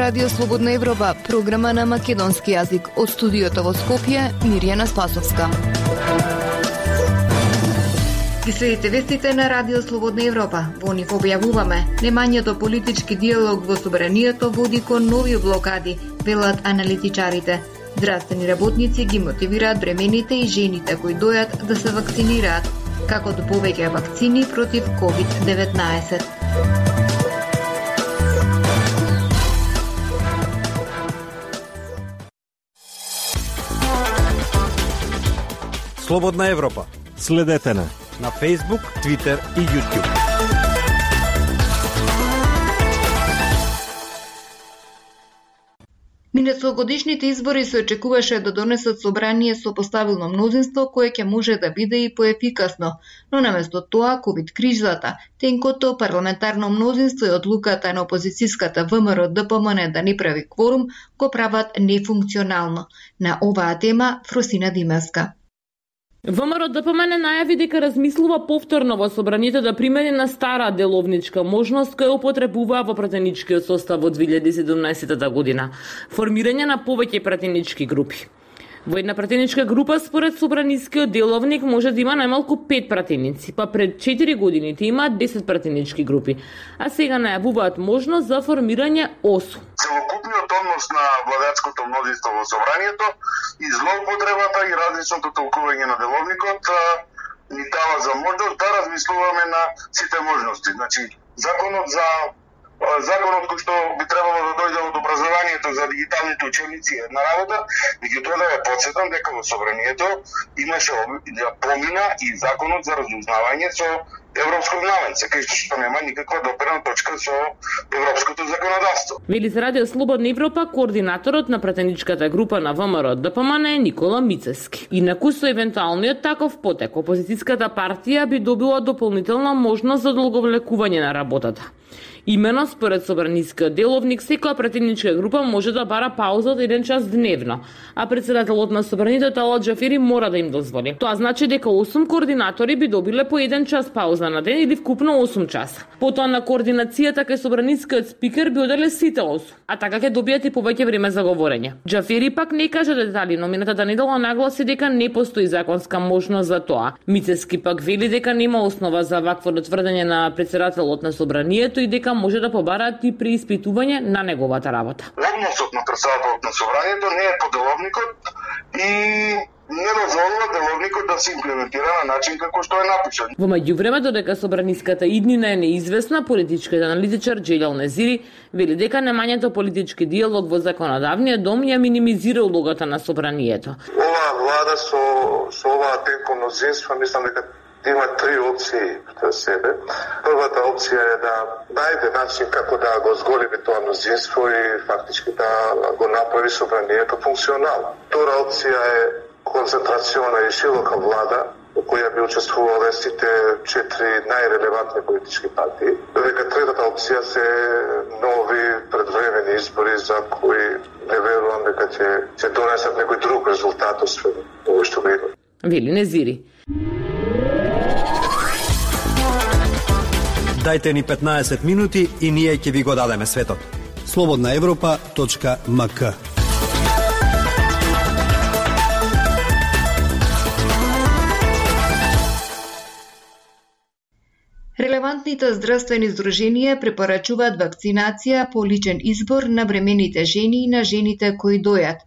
Радио Слободна Европа, програма на македонски јазик. Од студиото во Скопје, Мирјана Спасовска. Ги следите вестите на Радио Слободна Европа. Во нив објавуваме: немањето политички диалог во собранието води кон нови блокади, велат аналитичарите. Здравствени работници ги мотивираат бремените и жените кои дојат да се вакцинираат, како до повеќе вакцини против COVID-19. Слободна Европа. Следете на Facebook, Twitter и YouTube. Минатогодишните избори се очекуваше да донесат собрание со поставилно мнозинство кое ќе може да биде и поефикасно, но наместо тоа ковид кризата, тенкото парламентарно мнозинство и одлуката на опозицијската ВМРО-ДПМН да не прави кворум го прават нефункционално. На оваа тема Фросина Димевска. ВМРО-ДПМН најави дека размислува повторно во собранието да примени на стара деловничка можност која употребуваа во пратеничкиот состав од 2017 година, формирање на повеќе пратенички групи. Во една пратеничка група, според собранискиот деловник, може да има најмалку 5 пратеници, па пред 4 годините имаат 10 пратенички групи, а сега најавуваат можност за формирање 8. Целокупниот однос на владеачкото мнозинство во собранието и злоупотребата и различното толкување на деловникот ни дава за можност да размислуваме на сите можности. Значи, законот кој што би требало да дојде од образованието за дигиталните учебници е една работа, меѓутоа да ја потсетам дека во собранието имаше помина и законот за разузнавање со европско знаменце, кај што нема никаква допирна точка со европското законодавство. Вели за Радио Слободна Европа координаторот на пратеничката група на ВМРО-ДПМН е Никола Мицевски. Инаку со евентуалниот таков потек, опозицијската партија би добила дополнителна можност за одолговлекување на работата. Имено, според собранискиот деловник, секоја пратеничка група може да бара пауза од 1 час дневно, а председателот на собранието Талат Џафери мора да им дозволи. Тоа значи дека 8 координатори би добиле по 1 час пауза на ден или вкупно 8 часа. Потоа на координацијата кај собранискиот спикер би оделе сите 8, а така ќе добијат и повеќе време за говорење. Џафери пак не кажа детали, но минатата недела нагласи дека не постои законска можност за тоа. Мицевски пак вели дека нема основа за вакво тврдење на председателот на собранието и дека може да побараат и преиспитување на неговата работа. Односот на председателот на собранието не е по деловникот и не дозволува деловникот да се имплементира на начин како што е напишан. Во меѓувреме, додека собраниската иднина е неизвестна, политичкиот аналитичар Джелјал Незири вели дека немањето политички диалог во законодавниот дом ја минимизира улогата на собранието. Оваа влада со оваа тенко мнозинство, мислам дека има 3 опции пред себе. Првата опција е да најде начин како да го зголеми тоа мнозинство и фактички да го направи собранието функционално. Втора опција е концентрациона и широка влада, во која би учествувале сите 4 најрелевантни политички партии. Додека третата опција се нови предвремени избори за кои не верувам дека ќе донесат некој друг резултат освен овој што го има. Вели Незири. Дајте ни 15 минути и ние ќе ви го дадеме светот. slobodnaevropa.mk. Релевантните здравствени здруженија препорачуваат вакцинација по личен избор на бремените жени и на жените кои дојат.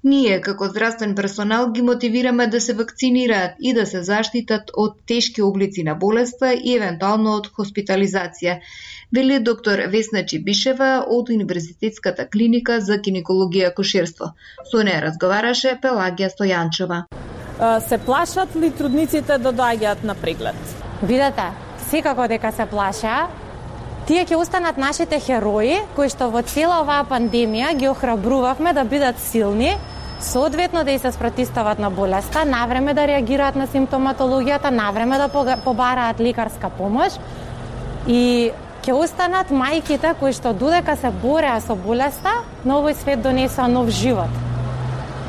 Ние, како здравствен персонал, ги мотивираме да се вакцинираат и да се заштитат од тешки облици на болеста и евентуално од хоспитализација, вели доктор Весна Чибишева од Универзитетската клиника за гинекологија и акушерство. Со неја разговараше Пелагија Стојанчева. Се плашат ли трудниците да доаѓаат на преглед? Видете, секако дека се плаша. Тие ќе останат нашите херои, кои што во цела оваа пандемија ги охрабрувавме да бидат силни, соодветно да и се спротивстават на болеста, навреме да реагираат на симптоматологијата, навреме да побараат лекарска помош и ќе останат мајките кои што додека се бореа со болеста, на овој свет донесоа нов живот.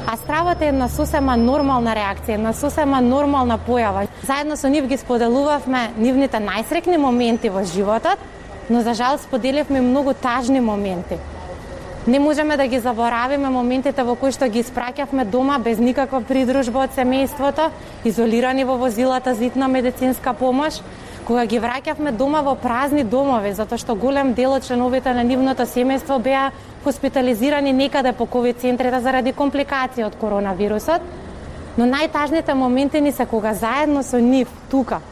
А стравот е една сосема нормална реакција, една сосема нормална појава. Заедно со нив ги споделувавме нивните најсрекни моменти во животот, но за жал споделивме многу тажни моменти. Не можеме да ги заборавиме моментите во кои што ги испраќавме дома без никаква придружба од семејството, изолирани во возилата за итна медицинска помош, кога ги враќавме дома во празни домови, затоа што голем дел од членовите на нивното семејство беа хоспитализирани некаде по ковид центрите заради компликации од коронавирусот. Но најтажните моменти ни се кога заедно со нив тука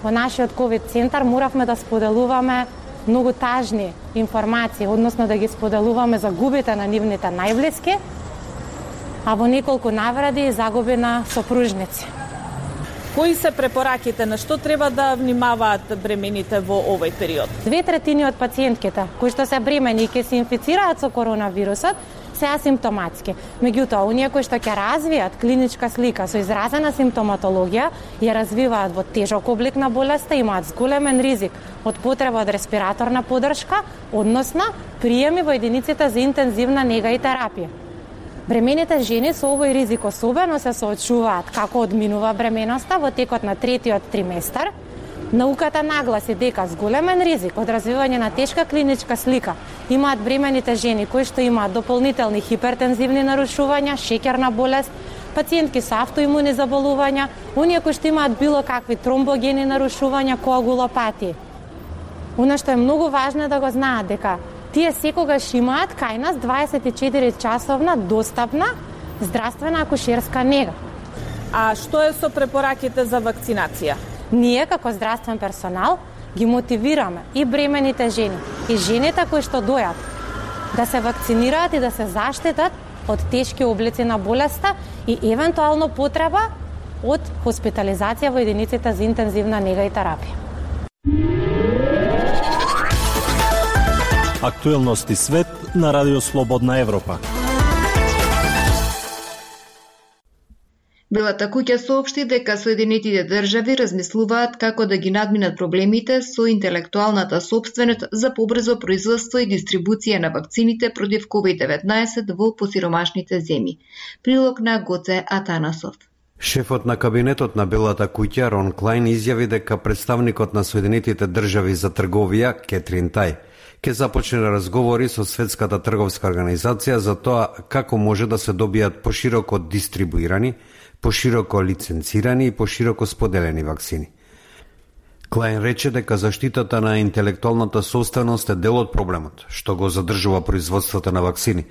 во нашиот ковид центар моравме да споделуваме многу тажни информации, односно да ги споделуваме загубите на нивните најблиски, а во неколку навради и загуби на сопружници. Кои се препораките, на што треба да внимаваат бремените во овој период? 2/3 од пациентките кои што се бремени и ќе се инфицираат со коронавирусот се асимптоматски. Меѓутоа, оние кои што ќе развијат клиничка слика со изразена симптоматологија, ја развиваат во тежок облик на болеста, имаат зголемен ризик од потреба од респираторна поддршка, односно приеми во единиците за интензивна нега и терапија. Бремените жени со овој ризик особено се соочуваат како одминува бременоста во текот на третиот триместар. Науката нагласи дека зголемен ризик од развивање на тешка клиничка слика имаат бремените жени кои што имаат дополнителни хипертензивни нарушувања, шеќерна болест, пациентки со автоимуни заболувања, оние кои што имаат било какви тромбогени нарушувања, коагулопатии. Оно што е многу важно да го знаат дека тие секогаш имаат кај нас 24 часовна достапна здравствена акушерска нега. А што е со препораките за вакцинација? Ние како здравствен персонал ги мотивираме и бремените жени и жените кои што дојат да се вакцинираат и да се заштитат од тешки облици на болеста и евентуално потреба од хоспитализација во единиците за интензивна нега и терапија. Актуелности свет на Радио Слободна Европа. Белата куќа соопшти дека Соединетите држави размислуваат како да ги надминат проблемите со интелектуалната сопственост за побрзо производство и дистрибуција на вакцините против COVID-19 во посиромашните земји. Прилог на Гоце Атанасов. Шефот на кабинетот на Белата куќа Рон Клајн изјави дека представникот на Соединетите држави за трговија Кетрин Тај ќе започне разговори со Светската трговска организација за тоа како може да се добијат пошироко дистрибуирани, пошироко лиценцирани и пошироко споделени вакцини. Клајн рече дека заштитата на интелектуалната собственост е дел од проблемот, што го задржува производството на вакцини,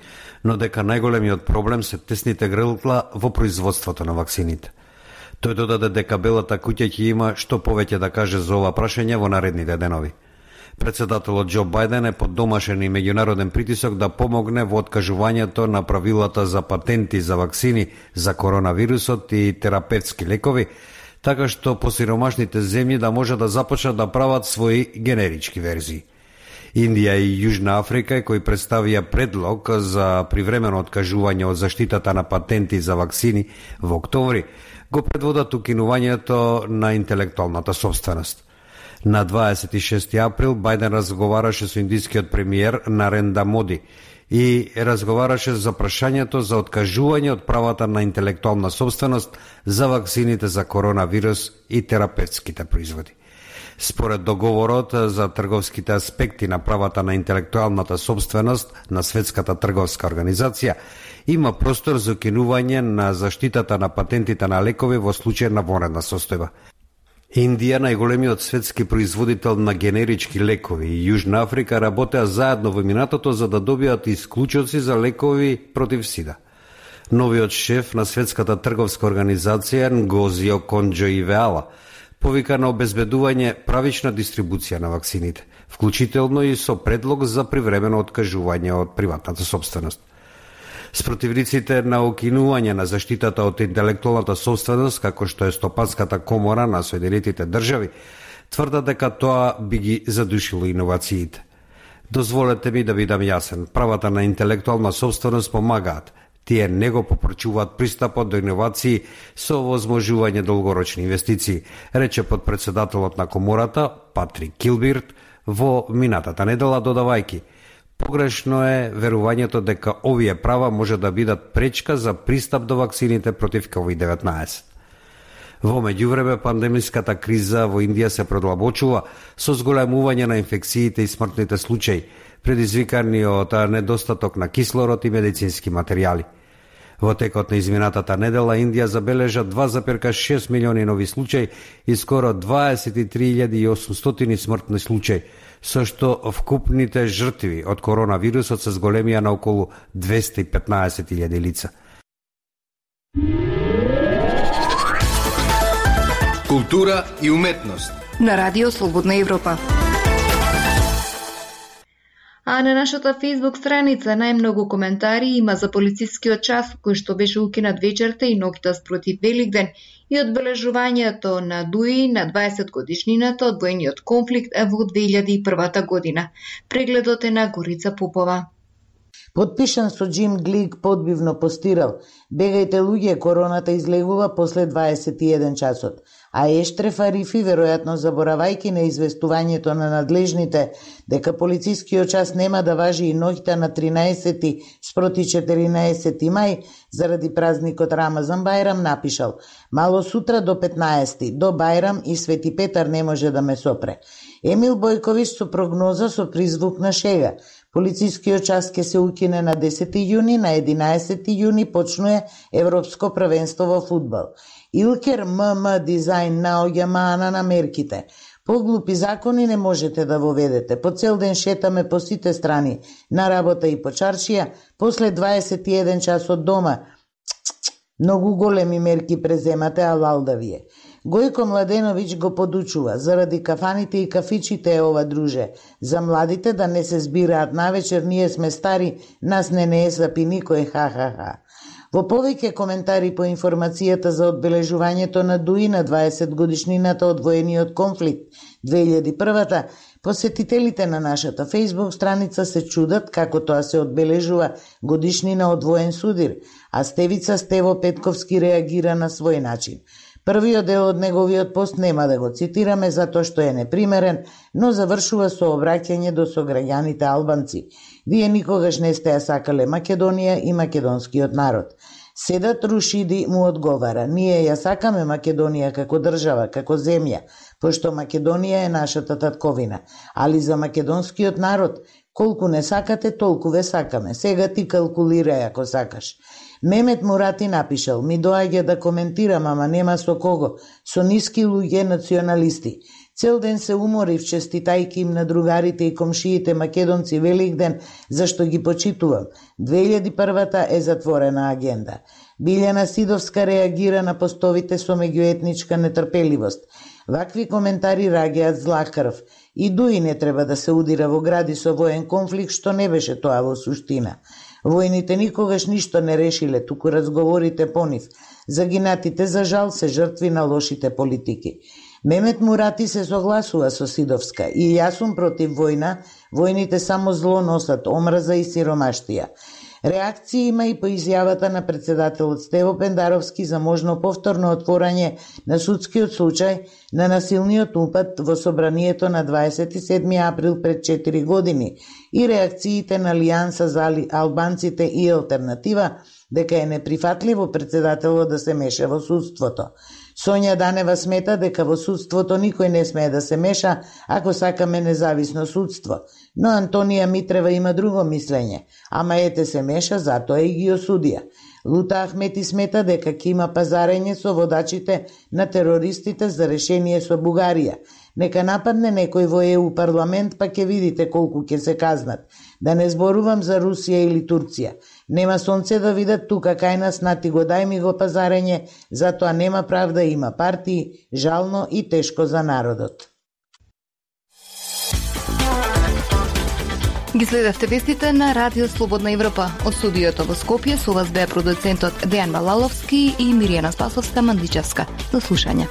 но дека најголемиот проблем се тесните грла во производството на вакцините. Тој додаде дека Белата куќа ќе има што повеќе да каже за ова прашање во наредните денови. Председателот Џо Бајден е под домашен и меѓународен притисок да помогне во откажувањето на правилата за патенти за вакцини за коронавирусот и терапевтски лекови, така што посиромашните земји да може да започнат да прават своји генерички верзии. Индија и Јужна Африка, кои представија предлог за привремено откажување од заштитата на патенти за вакцини во октомври, го предводат укинувањето на интелектуалната собственост. На 26 април Бајден разговараше со индискиот премиер Нарендра Моди и разговараше за прашањето за откажување од правата на интелектуална собственост за вакцините за коронавирус и терапевтските производи. Според договорот за трговските аспекти на правата на интелектуалната собственост на Светската трговска организација, има простор за укинување на заштитата на патентите на лекови во случај на вонредна состојба. Индија, најголемиот светски производител на генерички лекови, и Јужна Африка работеа заедно во минатото за да добијат исклучоци за лекови против СИДА. Новиот шеф на Светската трговска организација Нгози Оконџо-Ивеала повика на обезбедување правична дистрибуција на вакцините, вклучително и со предлог за привремено откажување од приватната собственост. Спротивниците на укинување на заштитата од интелектуалната собственост, како што е Стопанската комора на Соединетите држави, тврдат дека тоа би ги задушило иновациите. Дозволете ми да бидам јасен, правата на интелектуална собственост помагаат. Тие не го попречуваат пристапот до иновации со овозможување долгорочни инвестиции, рече подпредседателот на комората Патрик Килбирт во минатата недела, додавајќи: погрешно е верувањето дека овие права може да бидат пречка за пристап до вакцините против COVID-19. Во меѓувреме, пандемиската криза во Индија се продлабочува со зголемување на инфекциите и смртните случаи, предизвикани од недостаток на кислород и медицински материјали. Во текот на изминатата недела Индија забележа 2,6 милиони нови случаи и скоро 23.800 смртни случаи, со што вкупните жртви од коронавирусот се зголемија на околу 215.000 лица. Култура и уметност на Радио Слободна Европа. А на нашата Facebook страница најмногу коментари има за полицискиот час кој што беше укинат вечерта и ноќта спротив Великден и одбележувањето на Дуи на 20 годишнината од војниот конфликт во 2001 година. Прегледот е на Горица Попова. Подпишан со Джим Глик подбивно постирал: "Бегајте луѓе, короната излегува после 21 часот." А Ештреф Арифи, веројатно заборавајќи на известувањето на надлежните дека полицискиот час нема да важи и ноќта на 13 спроти 14 мај заради празникот Рамазан Бајрам, напишал: "Мало сутра до 15 до Бајрам и Свети Петар не може да ме сопре." Емил Бојковиќ со прогноза со призвук на шега: "Полицискиот час ќе се укине на 10 јуни, на 11 јуни почнува Европско првенство во фудбал." Илкер ММ дизајн наоѓа маана на мерките. Поглупи закони не можете да воведете. По цел ден шетаме по сите страни, на работа и по чаршија, после 21 час од дома. Многу големи мерки преземате, алал да вие. Гојко Младеновиќ го подучува: "Заради кафаните и кафичите е ова, друже. За младите да не се збираат навечер, ние сме стари, нас не е сапи никој, ха-ха-ха." Во повеќе коментари по информацијата за одбележувањето на Дуи на 20 годишнината од воениот конфликт 2001-та, посетителите на нашата Facebook страница се чудат како тоа се одбележува годишнина од воен судир, а Стевица Стево Петковски реагира на свој начин. Првиот дел од неговиот пост нема да го цитираме затоа што е непримерен, но завршува со обраќање до сограѓаните албанци. Вие никогаш не сте ја сакале Македонија и македонскиот народ. Седат Рушиди му одговара: "Ние ја сакаме Македонија како држава, како земја, пошто Македонија е нашата татковина, али за македонскиот народ, колку не сакате, толку ве сакаме. Сега ти калкулирај ако сакаш." Мемет Мурати напишал: "Ми доаѓа да коментирам, ама нема со кого, со ниски луѓе националисти. Цел ден се уморив честитајки им на другарите и комшиите македонци Великден, зашто ги почитувам. 2001-та е затворена агенда." Билјана Сидовска реагира на постовите со меѓуетничка нетрпеливост. Вакви коментари раѓаат зла крв. И Дуи не треба да се удира во гради со воен конфликт, што не беше тоа во суштина. Војните никогаш ништо не решиле, туку разговорите по нив. Загинатите за жал се жртви на лошите политики. Мемет Мурати се согласува со Сидовска: "И јас сум против војна, војните само зло носат, омраза и сиромаштија." Реакција има и по изјавата на председателот Стево Пендаровски за можно повторно отворање на судскиот случај на насилниот упад во собранието на 27 април пред 4 години и реакциите на Алијанса за албанците и Алтернатива дека е неприфатливо председателот да се меша во судството. Сонја Данева смета дека во судството никој не смее да се меша ако сакаме независно судство, но Антонија Митрева има друго мислење, ама ете се меша, затоа и ги осудија. Лута Ахмети смета дека ќе има пазарење со водачите на терористите за решение со Бугарија. Нека нападне некој во ЕУ парламент, па ќе видите колку ќе се казнат. Да не зборувам за Русија или Турција. Нема сонце да видат тука кај нас, нати го дај ми го пазарење, затоа нема правда, има партии, жално и тешко за народот. Ги следевте вестите на Радио Слободна Европа. Од студиото во Скопје со вас беа продуцентот Дејан Балаловски и Миријана Спасовска-Мандичевска. До слушање.